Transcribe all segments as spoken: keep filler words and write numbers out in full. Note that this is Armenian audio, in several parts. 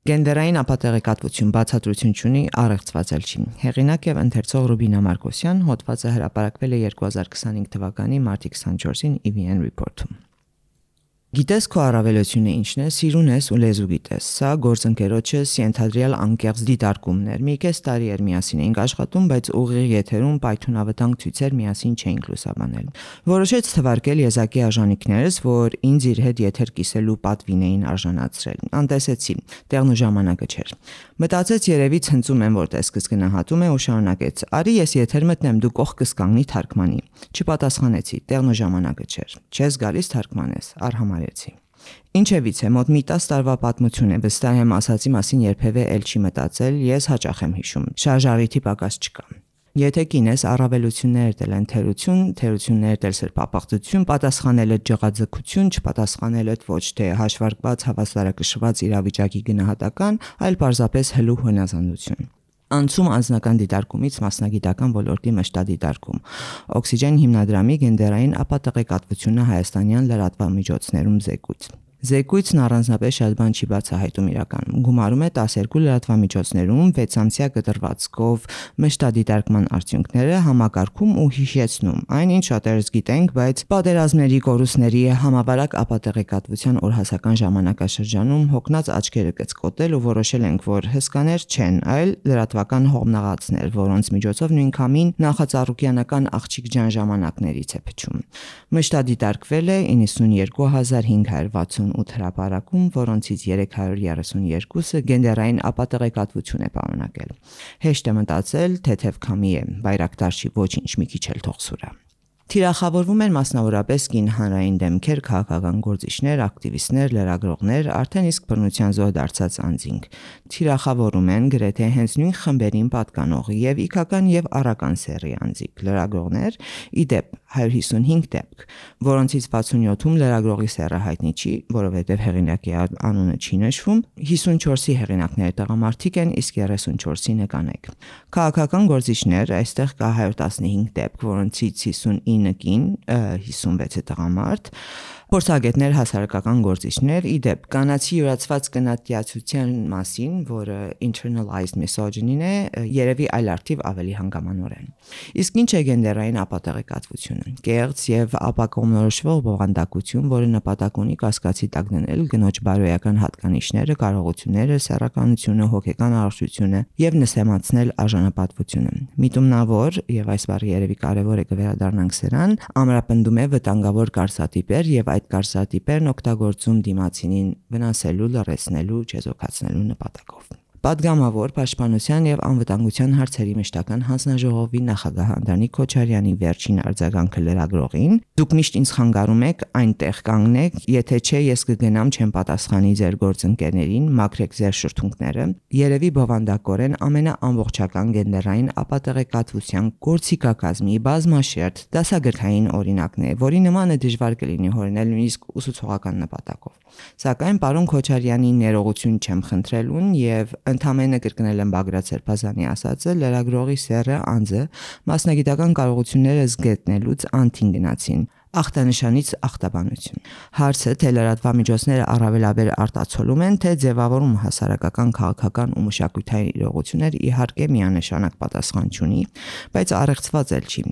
Գենդերային ապատեղեկատվություն բացատրություն չունի, առեղծված էլ չի։ Հեղինակ եւ ընթերցող Ռուբինա Մարկոսյան, հոդվածը հրապարակվել է երկու հազար քսանհինգ թվականի մարտի քսանչորսին E V N Report-ում։ Գիտես քո առավելությունը ինչն է, սիրուն ես ու լեզու գիտես։ Սա գործընկերոջս ենթադրյալ անկեղծ դիտարկումներ։ Մի կես տարի էր միասին էինք աշխատում, բայց ուղիղ եթերում պայթունավտանգ ցույցեր միասին չէինք լուսաբանել։ Որոշեց թվարկել եզակի արժանինքներս, որ ինձ իր հետ եթեր կիսելու պատվին էին արժանացրել։ Անտեսեցի, տեղն ու ժամանակը չէր։ Մտածեց երևի ցնծում եմ, որ տեսքս գնահատում է ու շարունակեց. «Արի ես եթեր մտնեմ, դու կողքս կանգնի թարգմանի»։ Չպատասխանեցի, տեղն ու ժամանակը չէր։ Չես գալիս թարգմանես, արհամարեցի։ Ինչևիցե մոտ մի տասը տարվա պատմություն է, վստահ եմ ասացի մասին երբևէ էլ չի մտածել, ես հաճախ եմ հիշում, շարժառիթի պակաս չկա։ Եթե կինես առավելություններդ էլ են թերություն, թերություններդ էլ սրբապղծություն, պատասխանելդ ջղաձգություն, չպատասխանելդ ոչ թե հաշվարկված հավասարակշռված իրավիճակի գնահատական, այլ պարզապես հլու հնազանդություն։ Անցում անձնական դիտարկումից մասնագիտական ոլորտի մշտադիտարկում։ Օքսիջեն հիմնադրամի գենդերային ապատեղեկատվությունը հայաստանյան լրատվամիջոցներում զեկույց։ Զեկույցն առանձնապես շատ բան չի բացահայտում իրականում։ Գումարում է տասներկու լրատվամիջոցներում վեցամսյա կտրվածքով մշտադիտարկման արդյունքները, համակարգում ու հիշեցնում այն, ինչ շատերս գիտենք, բայց պատերազմների կորուստների համավարակ ապատեղեկատվության օրհասական ժամանակաշրջանում հոգնած աչքերը կծկոտել ու որոշել ենք, որ հսկաներ չեն, այլ լրատվական հողմնաղացներ, որոնց միջոցով նույնքամին նախածառուկյանական աղջիկ ջան ժամանակներից է փչում։ Մշտադիտարկվել է իննսունյերկու հազար հինգ հարյուր վաթսունութ հրապարակում, որոնցից երեք հարյուր երեսունյերկուսը գենդերային ապատեղեկատվություն է պարունակել։ Հեշտ է մտածել, թեթև քամի է, բայրակտար չի, ոչինչ, մի քիչ էլ թող սուրա։ Թիրախավորվում են մասնավորապես կին հանրային դեմքեր, քաղաքական գործիչներ, ակտիվիստներ, լրագրողներ, արդեն իսկ բռնության զոհ դարձած անձինք։ Թիրախավորում են գրեթե հենց նույն խմբերին պատկանող եւ իքական եւ առական սեռի անձիկ, լրագրողներ, ի դեպ հարյուր հիսունհինգ դեպք, որոնցից վաթսունյոթում լրագրողի սեռը հայտնի չի, որովհետեւ հեղինակի անունը չի նշվում, հիսունչորսի հեղինակները տղամարդիկ են, իսկ երեսունչորսի նկանեք։ Քաղաքական գործիչներ, այստեղ կա հարյուր տասնհինգ դեպք, որոնցից հիսունինը կին, հիսունվեցը տղամարդ, փորձագետներ, հասարակական գործիչներ, ի դեպ կանացի յուրացված կնատյացության մասին, որը internalized misogyny-ն է, երևի այլ արդիվ ավելի հանգամանորեն։ Իսկ ինչ է գենդերային ապատեղեկատվությունը։ Կեղծ եւ ապակողմնորոշվող բովանդակություն, որը նպատակ ունի կասկածի տակ դնել կնոջ բարոյական հատկանիշները, կարողությունները, սեռականությունը, հոգեկան առողջությունը եւ նսեմացնել արժանապատվությունը։ Միտումնավոր, եւ այս բառը երևի կարեւոր է կվերադառնանք սրան, ամրապնդում է վտանգավոր կարծատիպեր եւ այդ կարծատիպերն օգտագործում դիմացինին վնասելու, լռեցնելու, չեզոքացնելու նպատակով։ Պատգամավոր պաշտպանության եւ անվտանգության հարցերի մշտական հանձնաժողովի նախագահ Անդրանիկ Քոչարյանի վերջին արձագանքը լրագրողին. «Դուք միշտ ինձ խանգարում եք, այնտեղ կանգնեք, եթե չէ ես կգնամ չեմ պատասխանի ձեր գործընկերներին, մաքրեք ձեր շրթունքները», երևի բովանդակորեն ամենաամբողջական գենդերային ապատեղեկատվության գործիքակազմի բազմաշերտ դասագրքային օրինակն է, որի նմանը դժվար կլինի հորինել նույնիսկ ուսուցողական նպատակով։ Սակայն պարոն Քոչարյանի ներողություն չեմ խնդրելուն եւ ընդամենը կրկնել եմ Բագրատ Սերբազանի ասածը, լրագրողի սեռը անձը մասնագիտական կարողությունները զգետնելուց անթին գնացին։ Ախտանշանից ախտաբանություն։ Հարցը թե լրատվամիջոցները առավելաբեր արտացոլում են, թե ձևավորում հասարակական, քաղաքական ու մշակութային իրողություններ, իհարկե միանշանակ պատասխան չունի, բայց առեղծված էլ չի։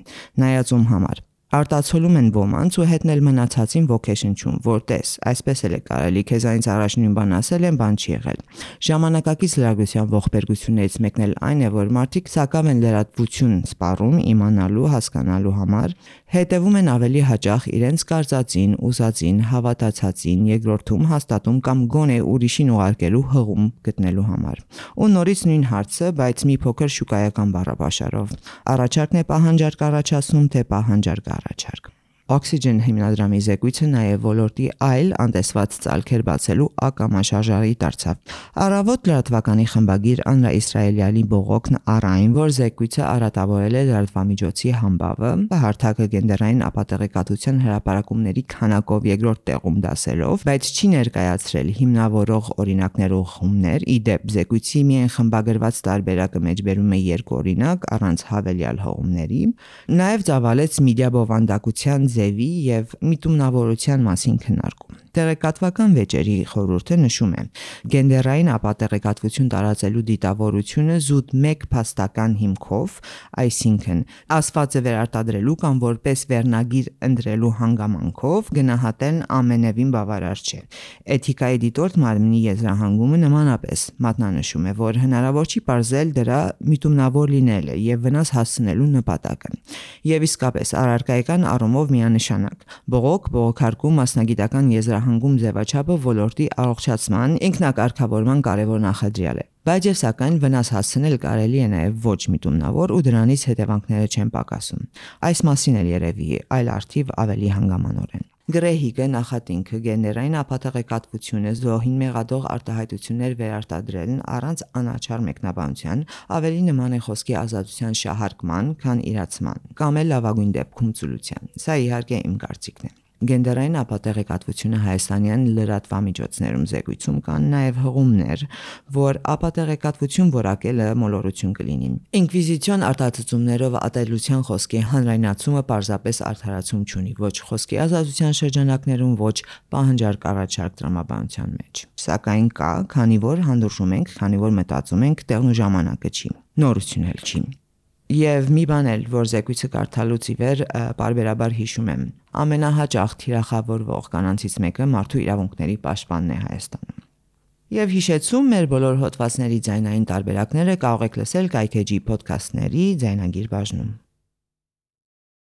Նայածում համար արտացոլում են ոմանց ու հետնել մնացածին ոգեշնչում, որ տես, այսպես էլ է կարելի, քեզանից առաջ նույն բան ասել են, բան չի եղել։ Ժամանակակից լրագրության ողբերգություններից մեկն էլ այն է, որ մարդիկ սակավ են լրատվություն սպառում իմանալու, հասկանալու համար, հետևում են ավելի հաճախ իրենց կարծածին, ուզածին, հավատացածին, երկրորդում հաստատում կամ գոնե ուրիշին ուղարկելու հղում գտնելու համար։ Ու նորից նույն հարցը, բայց մի փոքր շուկայական բառապաշարով։ Առաջարկն է պահանջարկ առաջացնում, թե պահանջարկ առաջարկ։ Օքսիջեն հիմնադրամի զեկույցը նաև ոլորտի այլ անտեսված ծալքեր բացելու ակամաշարժարի դարձավ։ Առավոտ լրատվականի խմբագիր Աննա Իսրայելյանի բողոքն առ այն, որ զեկույցը արատավորել է լրատվամիջոցի համբավը, հարթակը գենդերային ապատեղեկատվության հրապարակումների քանակով երկրորդ տեղում դասելով, բայց չի ներկայացրել հիմնավորող օրինակներ ու խումներ, ի դեպ զեկույցի միայն խմբագրված տարբերակը մեջբերում է երկու օրինակ առանց հավելյալ հղումների, նաև ծավալեց մեդիա բովանդակության ձևի եւ միտումնավորության մասին քննարկում։ Տեղեկատվական վեճերի խորհուրդը նշում է. գենդերային ապատեղեկատվություն տարածելու դիտավորությունը զուտ մեկ փաստական հիմքով, այսինքն ասվածը վերարտադրելու կամ որպես վերնագիր ընտրելու հանգամանքով գնահատելն ամենևին բավարար չէ։ Էթիկայի դիտորդ մարմնի եզրահանգումը նմանապես մատնանշում է, որ հնարավոր չի պարզել դրա միտումնավոր լինելը եւ վնաս հասցնելու նպատակը։ Եվ իսկապես առարկայական առումով միանշանակ բողոք, բողոքարկում, մասնագիտական եզրահանգում ձևաչափը ոլորտի առողջացման, ինքնակարգավորման կարևոր նախադրյալ է։ Բայց եւ սակայն վնաս հասցնել կարելի է նաեւ ոչ միտումնավոր ու դրանից հետևանքները չեն պակասում։ Այս մասին էլ երևի այլ արդիվ ավելի հանգամանորեն։ Գրեհիկը նախատինքը գենդերային ապատեղեկատվությունը զոհին մեղադող արտահայտություններ վերարտադրելն առանց անաչառ մեկնաբանության ավելի նման է խոսքի ազատության շահարկման, քան իրացման, կամ էլ լավագույն դեպքում ծուլության։ Սա իհարկե իմ կարծիքն է։ Գենդերային ապատեղեկատվությունը հայաստանյան լրատվամիջոցներում զեկույցում կան նաև հղումներ, որ ապատեղեկատվություն որակելը մոլորություն կլինի։ Ինկվիզիցիոն արտահայտություններով ատելության խոսքի հանրայնացումը պարզապես արդարացում չունի ոչ խոսքի ազատության շրջանակներում, ոչ պահանջարկ առաջարկ տրամաբանության մեջ։ Սակայն կա, քանի որ հանդուրժում ենք, քանի որ մտածում ենք, տեղն ու ժամանակը չի, նորություն էլ չի։ Եվ մի բան էլ, որ զեկույցը կարդալուց ի վեր պարբերաբար հիշում եմ, ամենահաճախ թիրախավորվող կանանցից մեկը մարդու իրավունքների պաշտպանն է Հայաստանում։ Եվ հիշեցում, մեր բոլոր հոդվածների ձայնային տարբերակները կարող եք լսել Kaytg Podcast-ների ձայնագիր բաժնում։